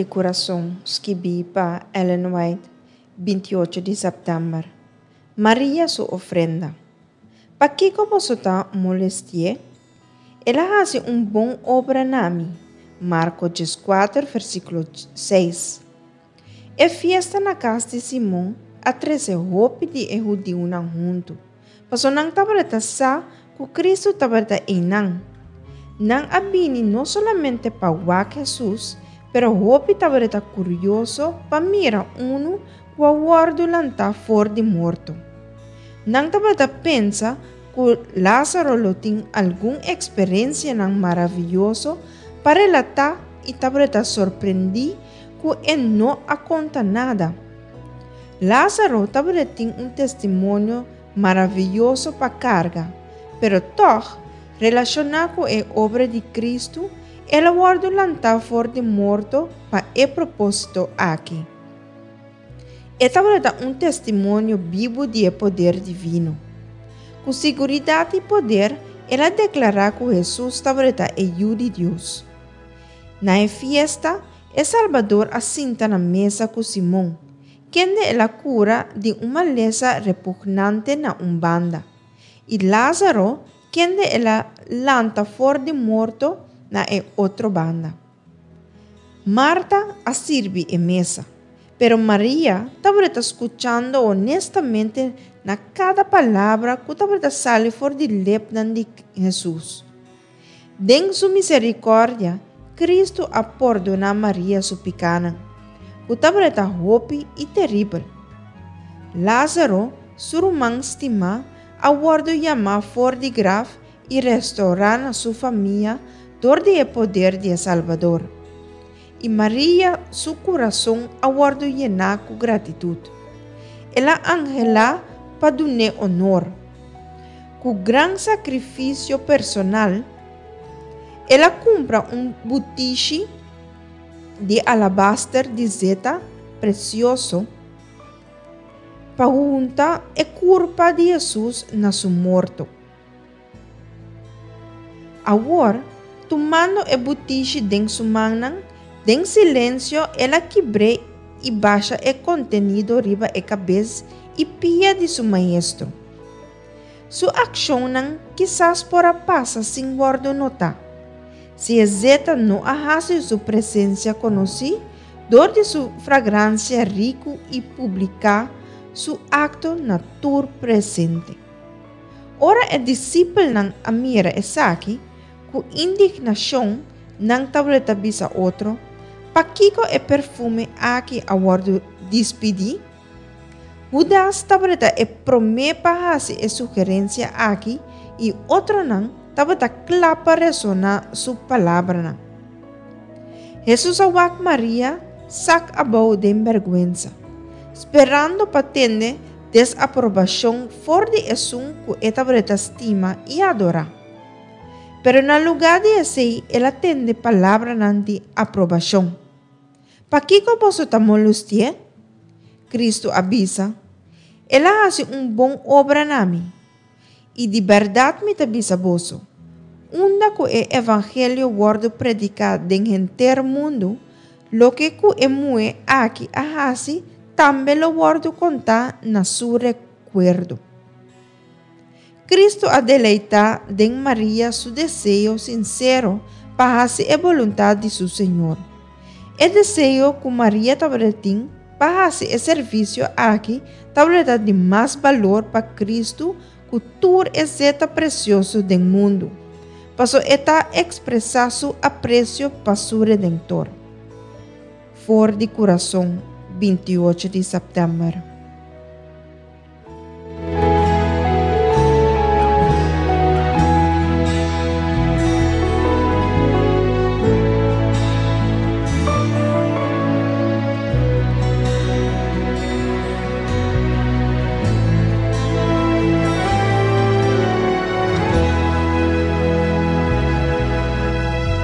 Kurason, skibí pa Ellen White, 28 di sèptèmber. Maria su ofrenda. Pakiko boso ta molesti'é? El a hasi un bon obra na mi. Marko 14, versíkulo 6. E fiesta na kas di Simon a trese hopi di e hudiunan huntu, pasobra nan tabata sa ku Kristu tabata einan. Nan a bini no solamente pa wak Hesus, pero hopi tabata kurioso pa mira unu ku a wòrdu lantá for di morto. Nan tabata pensa ku Lázaro lo tin algun eksperensianan maravioso pa relatá i tabata sorprendí ku e no a konta nada. Lázaro tabata tin un testimonio maravioso pa karga, pero tòg, relashoná ku e obra di Kristu, el a wòrdu lantá for di morto pa e propósito aki. E tabata un testimonio bibu di e poder divino. Ku siguridat i poder, el a deklará ku Hesus tabata e Yu di Dios. Na e fiesta, e Salbador a sinta na mesa ku Simon, kende el a kura di un malesa repugnante na un banda, i Lázaro, kende el a lanta for di morto na e otro banda. Marta a sirbi e mesa, pero Maria tabata skuchando honestamente na kada palabra ku tabata sali for di lepnan di Hesus. Den su miserikòrdia, Kristu a pordoná Maria su pikánan, ku tabata hopi i teribel. Lázaro, su ruman stimá, a wòrdu yamá for di graf i restourá na su famia dor di e poder di e Salbador. I Maria su kurason a wòrdu yená ku gratitut. El a anhelá pa dun'é onor. Ku gran sakrifisio personal, el a kumpra un butishi di alabaster di zeta presioso pa hunta e kurpa di Hesus na su morto. Awor, tumando e butishi den su mannan, den silensio el a kibr'é i basha e kontenido riba e kabes i pia di su Maestro. Su akshonnan kisas por a pasa sin wòrdu notá, si e zeta no a hasi su presensia konosí dor di su fragransia riku i publiká su akto na tur presente. Ora e disipelnan a mira esaki, ku indignashon nan tabata bisa otro, Pakiko e perfume aki a wòrdu dispidí? Hudas tabata e promé pa hasi e sugerensia aki i otronan tabata kla pa resoná su palabranan. Hesus a wak Maria sak abou den bèrgwensa, sperando pa tende desaprobashon for di esun ku e tabata stima i adorá. Pero na lugá di esei el a tende palabranan di aprobashon. Pakiko boso ta molustié? Kristu a bisa, El a hasi un bon obra na mi. I di bèrdat mi ta bisa boso, unda ku e evangelio wòrdu prediká den henter mundu, loke ku e muhé aki a hasi tambe lo wòrdu kontá na su rekuerdo. Kristu a deleitá den Maria su deseo sinsero pa hasi e boluntat di su Señor. E deseo ku Maria tabata tin pa hasi e servisio aki tabata di mas balor pa Kristu ku tur e zeta presioso den mundu, paso e ta ekspresá su apresio pa su Redentor. For di kurason, 28 di sèptèmber.